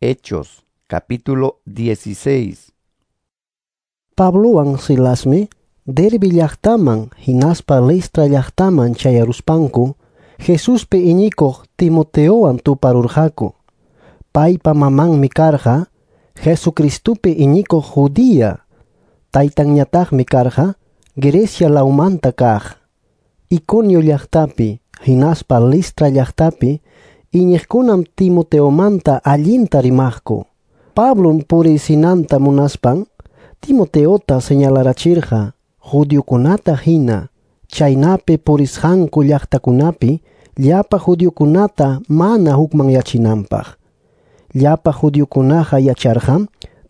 Hechos, capítulo 16. Pablowan Silasmi Derbe llaqtaman hinaspa Listra llaqtaman chayaruspanku Jesuspi iñikuq Timoteowan tuparurqaku. Paypa mamanmi karqa Jesucristopi iñikuq judía, taytanñataqmi karqa Grecia lawmanta kaq. Iconio llaqtapi hinaspa Listra llaqtapi iñiqkunam Timoteomanta allinta rimaqku. Pablom puriysinanta munaspan Timoteota señalarachirqa judiokunata hina, chaynapi purisqanku llaqtakunapi llapa judiokunata mana hukmanyachinanpaq. Llapa judiokunaqa yacharqam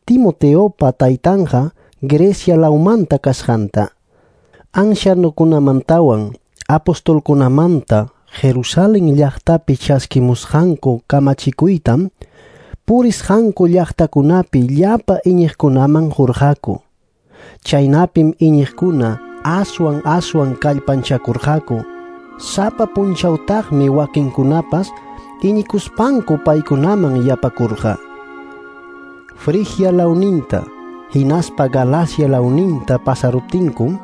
Timoteopa taytanqa Grecia lawmanta kasqanta. Ancianokunamantawan apostolkunamanta Jerusalén llaqtapi chaskimusqanku kamachikuytam purisqanku llaqtakunapi llapa iñiqkunaman qurqaku. Chaynapim iñiqkuna aswan aswan kallpanchakurqaku. Sapa punchawtaqmi wakinkunapas iñikuspanku paykunaman yapakurqa. Frigia lawninta hinaspa Galacia lawninta pasaruptinkum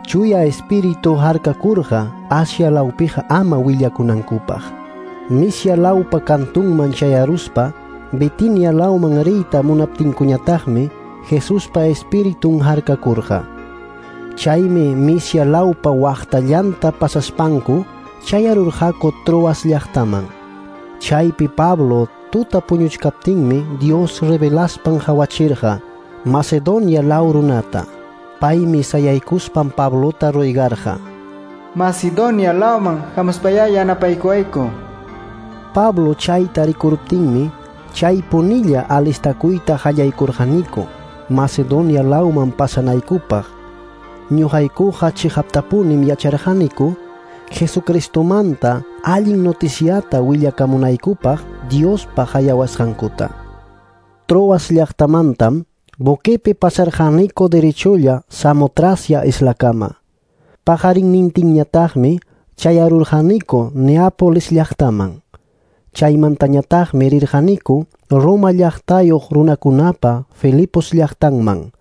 Chuya Espíritu harkakurqa Asia lawpiqa ama willakunankupaq. Misia lawpa kantunman chayaruspa Bitinia lawman riyta munaptinkuñataqmi Jesuspa Espiritun harkakurqa. Chaymi Misia lawpa waqtallanta pasaspanku chayarurqaku Troas llaqtaman. Chaypi Pablo tuta puñuchkaptinmi Dios revelaspan hawachirqa Macedonia law runata. Paymi sayaykuspan Pablota roygarqa. Macedonia lawman hamuspayá yanapaykuwayku. Pablo chayta rikuruptinmi chaypunilla alistakuyta qallaykurqaniku Macedonia lawman pasanaykupaq. Ñuqaykuqa chiqaptapunim yacharqaniku Jesucristomanta allin noticiata willakamunaykupaq Diospa hayawasqankuta. Troas llaqtamantam buquepi pasarqaniku derecholla Samotracia islakama. Paqarinnintinñataqmi chayarurqaniku Neápolis llaqtaman. Chaymantañataqmi rirqaniku Roma llaqtayuq runakunapa Filipos llaqtanman.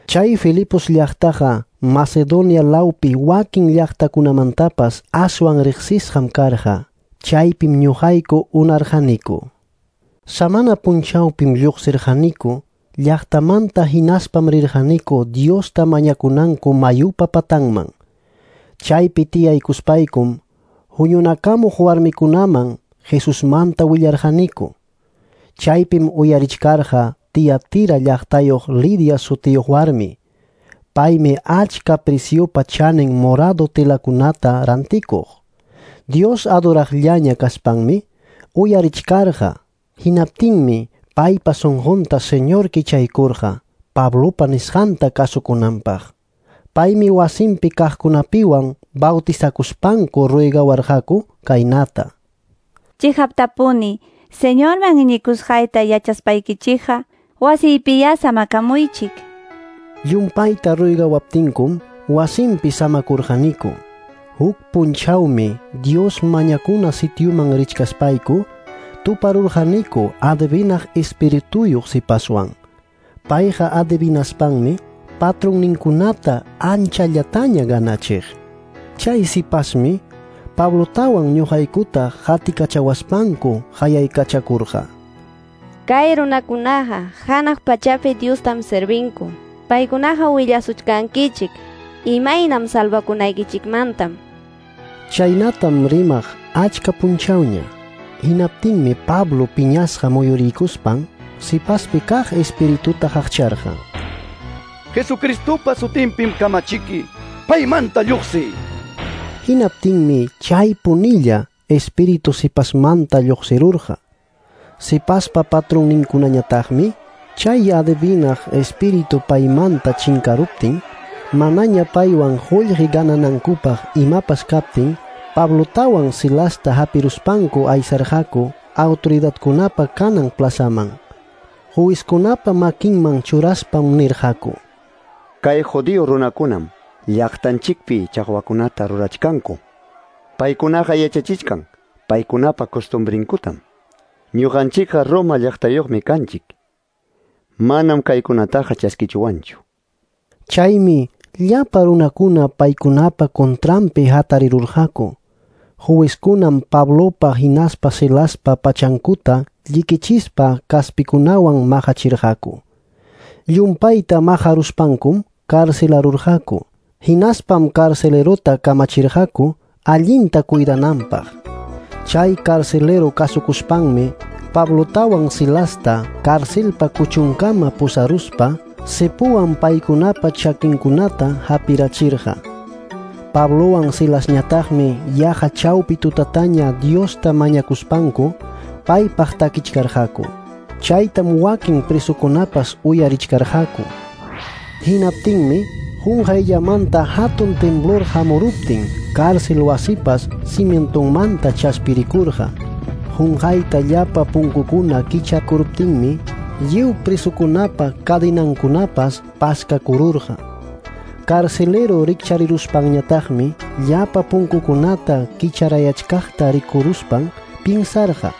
Chay Filipos llaqtaqa Macedonia lawpi wakin llaqtakunamantapas aswan riqsisqam karqa. Chaypim ñuqayku unarqaniku. Samana punchawpim lluqsirqaniku llaqtamanta hinaspam rirqaniku Diosta mañakunanku mayupa patanman. Chaypi tiyaykuspaykum huñunakamuq warmikunaman Jesusmanta willarqaniku. Chaypim uyarichkarqa Tiatira llaqtayuq Lidia sutiyuq warmi. Paymi achka preciupa chanin morado telakunata rantikuq. Dios adoraqllaña kaspanmi uyarichkarqa. Hinaptinmi paypa sunqunta Señor kichaykurqa Pablopa nisqanta kasukunanpaq. Paymi wasinpi kaqkunapiwan bautizakuspanku ruegawarqaku kaynata. Chiqaptapuni, Señorman iñikusqayta yachaspaykichikqa wasiypiyá samakamuychik. Llumpayta ruegawaptinkum wasinpi samakurqaniku. Huk punchawmi Dios mañakuna sitiuman richkaspayku tuparurqaniku adivinaq espirituyuq sipaswan. Payqa adivinaspanmi patronninkunata anchallataña ganachiq. Chay sipasmi Pablotawan ñuqaykuta qatikachawaspanku hayaykachakurqa. Kay runakunaqa hanaq pachapi Diostam servinku. Paykunaqa willasuchkankichik imaynam salvakunaykichikmantam. Chaynatam rimaq achka punchawña. Hinaptinmi Pablo piñasqa muyuriykuspan sipaspi kaq espirituta qaqcharqa. Jesucristopa sutinpim kamachiki, paymanta lluqsiy. Hinaptinmi chay punilla espíritu sipasmanta lluqsirurqa. Sipaspa patronninkunañataqmi chay adivinaq espíritu paymanta chinkaruptin, manaña paywan qullqi gananankupaq imapas kaptin, Pablotawan Silasta hapiruspanku aysarqaku autoridadkunapa kanan plazaman. Juizkunapa makinman churaspam nirqaku: Kay judío runakunam llaqtanchikpi chaqwakunata rurachkanku. Paykunaqa yachachichkan paykunapa costumbrinkutam. Ñuqanchikqa Roma llaqtayuqmi kanchik. Manam kaykunataqa chaskichuwanchu. Chaymi llapa runakuna paykunapa contranpi hatarirurqaku. Juezkunam Pablopa hinaspa Silaspa pachankuta llikichispa kaspikunawan maqachirqaku. Llumpayta maqaruspankum carcelarurqaku. Hinaspam carcelerota kamachirqaku allinta cuidananpaq. Chay carcelero kasukuspanmi Pablotawan Silasta carcelpa kuchunkama pusaruspa cepuwan paykunapa chakinkunata hapirachirqa. Pablowan Silasñataqmi yaqa chawpi tutataña Diosta mañakuspanku paypaq takichkarqaku. Chaytam wakin presokunapas uyarichkarqaku. Hinaptinmi qunqayllamanta hatun temblor hamuruptin cárcel wasipas cimientonmanta chaspirikurqa. Qunqayta llapa punkukuna kichakuruptinmi lliw presokunapa cadenankunapas paskakururqa. Carcelero rikchariruspanñataqmi llapa punkukunata kicharayachkaqta rikuruspan pinsarqa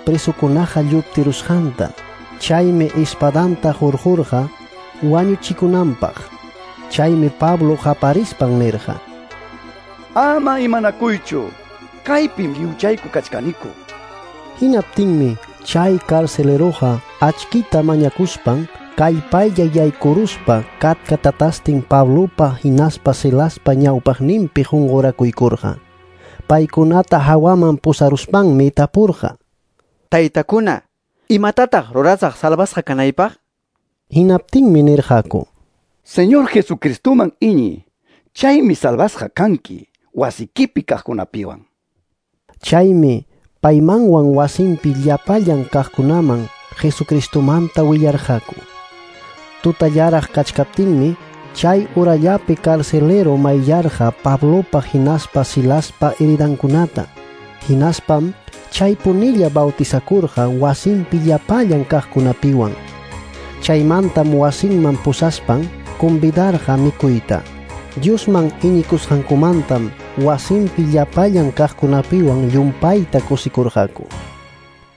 presokunaqa lluptirusqanta. Chaymi espadanta hurqurqa wañuchikunanpaq. Chaymi Pablo qaparispan nirqa: Ama imanakuychu, kaypim lliwchayku kachkaniku. Hinaptinmi chay carceleroqa achkita mañakuspan kallpaylla yaykuruspa katkatatastin Pablopa hinaspa Silaspa ñawpaqninpi qunqurakuykurqa. Paykunata hawaman pusaruspanmi tapurqa: Taytakuna, imatataq rurasaq salvasqa kanaypaq? Hinaptinmi nirqaku: Señor Jesucristoman iñi, chaymi salvasqa kanki wasikipi kaqkunapiwan. Chaymi paymanwan wasinpi llapallan kaqkunaman Jesucristomanta willarqaku. Tutallaraq kachkaptinmi chay urallapi carcelero mayllarqa Pablopa hinaspa Silaspa heridankunata. Hinaspam chaypunilla bautizakurqa wasinpi llapallan kaqkunapiwan. Chaymantam wasinman pusaspan convidarqa mikuyta. Diosman iñikusqankumantam wasinpi llapallan kaqkunapiwan llumpayta kusikurqaku.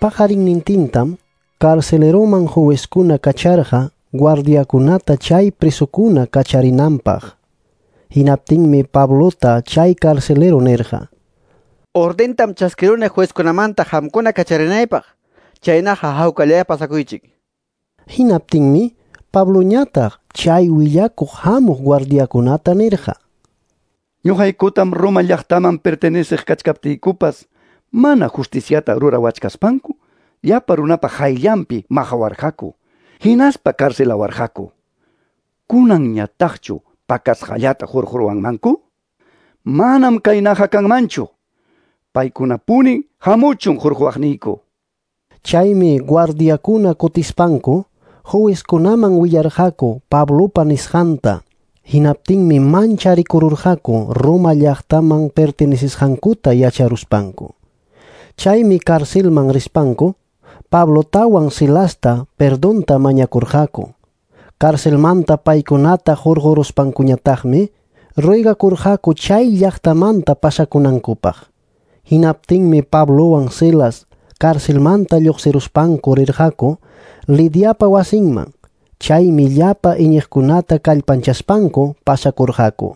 Paqarinnintintam carceleroman juezkuna kacharqa guardiakunata chay presokuna kacharinanpaq. Hinaptinmi Pablota chay carcelero nirqa: Ordentam chaskiruni juezkunamanta qamkuna kacharinaypaq. Chaynaqa hawkallaya pasakuychik. Hinaptinmi Pabloñataq chay willakuq hamuq guardiakunata nirqa: Ñuqaykutam Roma llaqtaman perteneceq kachkaptiykupas mana justiciata rurawachkaspanku llapa runapa hayllanpi maqawarqaku, hinaspa carcelawarqaku. Kunanñataqchu pakasqallata hurquruwanmanku? Manam kaynaqa kanmanchu. Paykunapuni hamuchun hurquwaqniyku. Chaymi guardiakuna kutispanku juezkunaman willarqaku Pablopa nisqanta. Hinaptinmi mancharikururqaku Roma llaqtaman pertenecisqankuta yacharuspanku. Chaymi carcelman rispanku Pablotawan Silasta perdonta mañakurqaku. Carcelmanta paykunata hurquruspankuñataqmi ruegakurqaku chay llaqtamanta pasakunankupaq. Hinaptinmi Pablowan Silas carcelmanta lluqsiruspanku rirqaku Lidiapa wasinman. Chaymi llapa iñiqkunata kallpanchaspanku pasakurqaku.